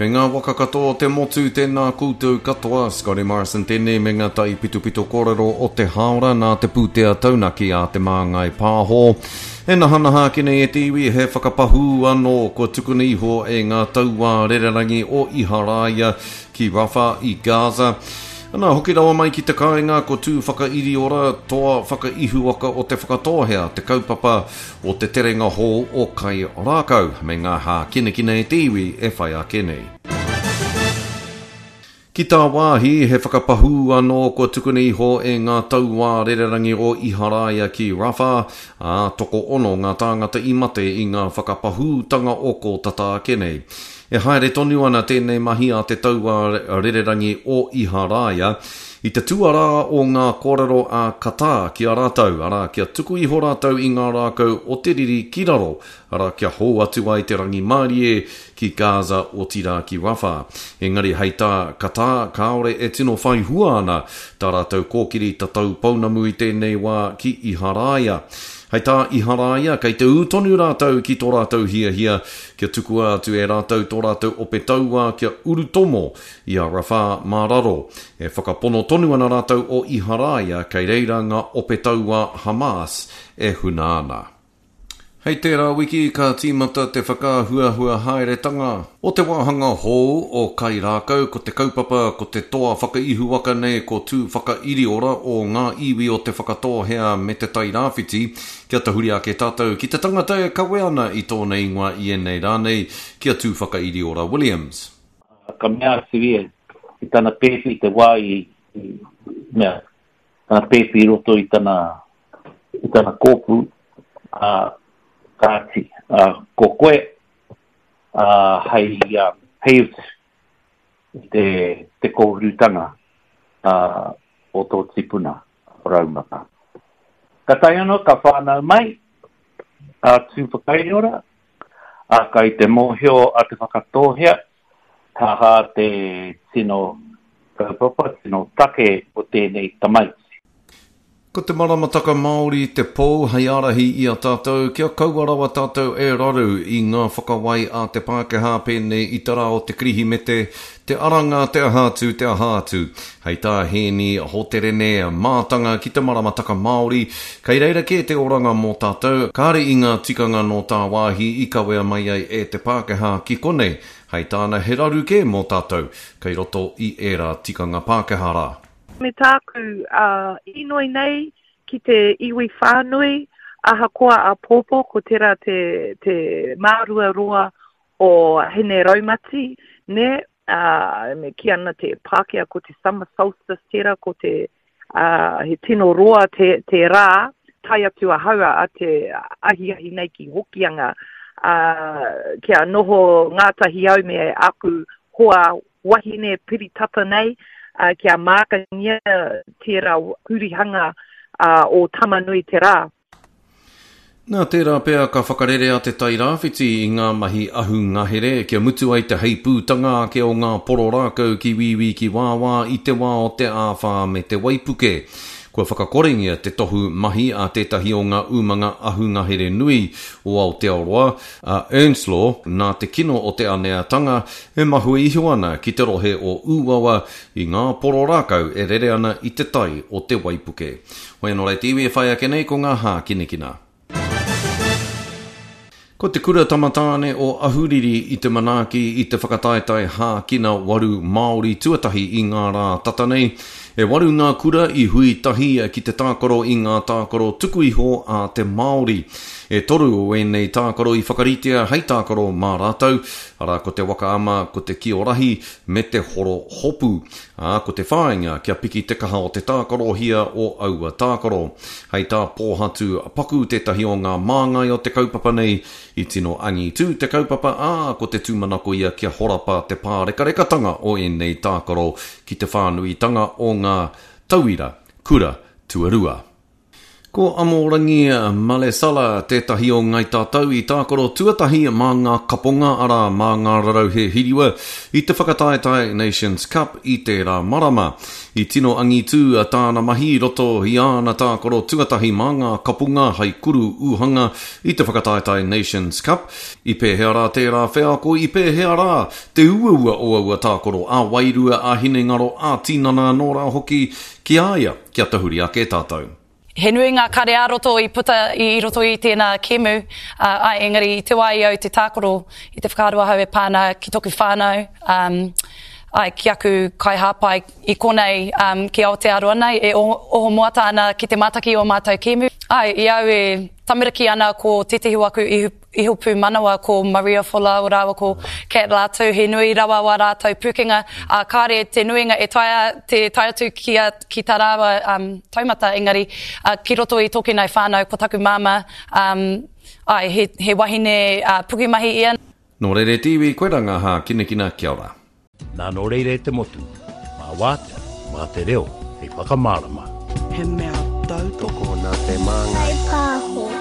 Kei ngā waka katoa o te motu, tēnā koutou katoa. Scotty Morrison tēnei me ngā taipitopito kōrero o te hāora nā te pūtea taunaki a Te Māngai Pāho. E nahanaha ake nei e te iwi he whakapahū anō kua tukuna iho e ngā tauā rererangi o Iharaia ki Rafah i Gaza. Ana, hoki rawa mai ki te kāinga ko Tū Whakairiora, toa whakaihuwaka o Te Whakatōhea, te kaupapa o te terenga hou o Kai Rākau, me ngā hākinakina e te iwi e whai ake nei. Ki tāwāhi, he whakapahū anō kua tukuna iho e ngā tauā rererangi o Iharaia ki Rafah, ā, tokoono ngā tāngata i mate i ngā whakapahūtanga o kō tata ake nei. E haere tonu ana tēnei mahi a te tauā rererangi o Iharaia i te tuarā o ngā kōrero a Qatar ki a rātou, arā, kia tuku iho rātou i ngā rākau o te riri ki raro, arā, kia hou atu ai te rangimārie ki Gaza otirā ki Rafah. Engari hei tā Qatar, kāore e tino whai hua ana tā rātou kōkiri tatau pounamu i tēnei wā ki Iharaia. Hei tā Iharaia, kei te ū tonu rātou ki tō rātou hiahia kia tukua atu e rātou tō rātou ope tauā kia urutomo i a Rafah mā raro. E whakapono tonu ana rātou o Iharaia kei reira ngā ope tauā Hamas e huna ana. Hei tērā wiki ka tīmata te whakaahuahua haeretanga o te wāhanga hou o Kai Rākau, ko te kaupapa ko te toa whakaihuwaka nei ko Tū Whakairiora o ngā iwi o Te Whakatōhea me Te Tairāwhiti. Kia tahuri ake tātou ki te tangata e kawe ana i tōna ingoa i ēnei rā nei, ki a Tūwhakairiora Williams. Ka mea atu ia ki tana pēpi i te wā i mea, tana pēpi i roto i tana, i tana kōpū, ā, kāti, ā, ko koe, ā, hei, ā, hei utu i te, te kōhurutanga, ā, o tō tipuna. Raumata. Ka tae anō, ka whānau mai a Tūwhakairiora, ā, kai te mōhio a Te Whakatōhea he aha te tino kaupapa, tino take o tēnei tamaiti. Ko te maramataka Māori te pou hei ārahi i a tātou kia kaua rawa tātou e raru i ngā whakawai a te Pākehā pēnei i te rā o te Kirihimete, te aranga, te aha atu, te aha atu. Hei tā Hēni Hoterene, mātanga ki te maramataka Māori, kei reira kē te oranga mō tātou, kāre i ngā tikanga nō tāwāhi i kawea mai ai e te Pākehā ki konei. Hei tāna he raru kē mō tātou, kei roto i ērā tikanga Pākehā rā. Me tāku inoi nei ki te iwi whānui, ahakoa āpōpō ko tērā te, te māruarua o Hine Raumati, nē, ā, me kī ana te Pākehā ko te summer solstice tērā, ko te, ā, he tino roa te, te rā, tae atu ahau a te ahiahi nei ki Hokianga, ā, kia noho ngātahi au me aku hoa wahine piri tata nei, ā, kia mākangia tērā hurihanga, ā, o Tamanui te rā. Nā, tērā pea ka whakarerea Te Tai Rāwhiti i ngā mahi ahu ngahere kia mutu ai te heipūtanga ake o ngā poro rākau ki wīwī ki wāwā i te wā o te āwhā me te waipuke. Kua whakakorengia te tohu mahi a tētahi o ngā umanga ahu ngahere nui o Aotearoa, a Ernslaw, nā te kino o te aneatanga e mahue iho ana ki te rohe o Ūawa i ngā poro rākau e rere ana i te tai o te waipuke. Hoi anō rā te iwi e whai ake nei ko ngā hākinakina. Ko te Kura Tamatāne o Ahuriri i te manaaki i te whakataetae hākina waru Māori tuatahi i ngā rā tata nei. E waru ngā kura i hui tahi ki te tākaro i ngā tākaro tuku iho a te Māori. E toru o ēnei tākaro i whakaritea hei tākaro mā rātou, arā ko te waka ama, ko te kiorahi me te horo hopu. Ā, ko te whāinga kia piki te kaha o te tākarohia o aua tākaro. Hei tā Pōhatu Paku tētahi o ngā māngai o te kaupapa nei, i tino angitū te kaupapa, ā, ko te tūmanako ia kia horapa te pārekarekatanga o ēnei tākaro ki te whānuitanga o ngā tauira kura tuarua. Ko Amorangi Malesala tētahi o Ngai Tātou i tākaro tuatahi mā ngā kaponga, arā, mā ngā rarauhe hiriwa, i te whakataetae Nations Cup i tērā marama. I tino angitū tāna mahi i roto i āna tākaro tuatahi mā ngā kapunga hai kuru ūhanga i te whakataetae Nations Cup. I pēhea rā tērā wheako, i pēhea rā te uaua o aua tākaro ā-wairua, ā-hinengaro, ā-tinana anō rā hoki ki a ia, kia tahuri ake tātou. He nui ngā kare ā-roto i puta i roto i tēnā kēmu, āe, engari i te wā i au te tākaro, i te whakaaro ahau e pā ana ki toku whānau, āe, ki aku kaihāpai i konei ki Aotearoa nei e oho moata ana ki te mātaki i ō mātou kēmu. Āe, i au e tamariki ana ko tētehi o aku ihu Iho pūmanawa ko Maria Folau rāua ko Kat Latu, he nui rawa wā rātou pūkenga, ā, kāre te nuinga e taea te tae atu ki a, ki tā rāua um, taumata, engari, ā, ki roto i tōku nei whānau, ko taku māmā, um, āe, he, he wahine uh, pukumahi ia. Nō reira e te iwi, koirā ngā hākinakina, kia ora. Nā nō reira e te motu, mā wātea, mā te reo hei whakamārama. He mea tautoko. Tokona te māngai. Whai pāho.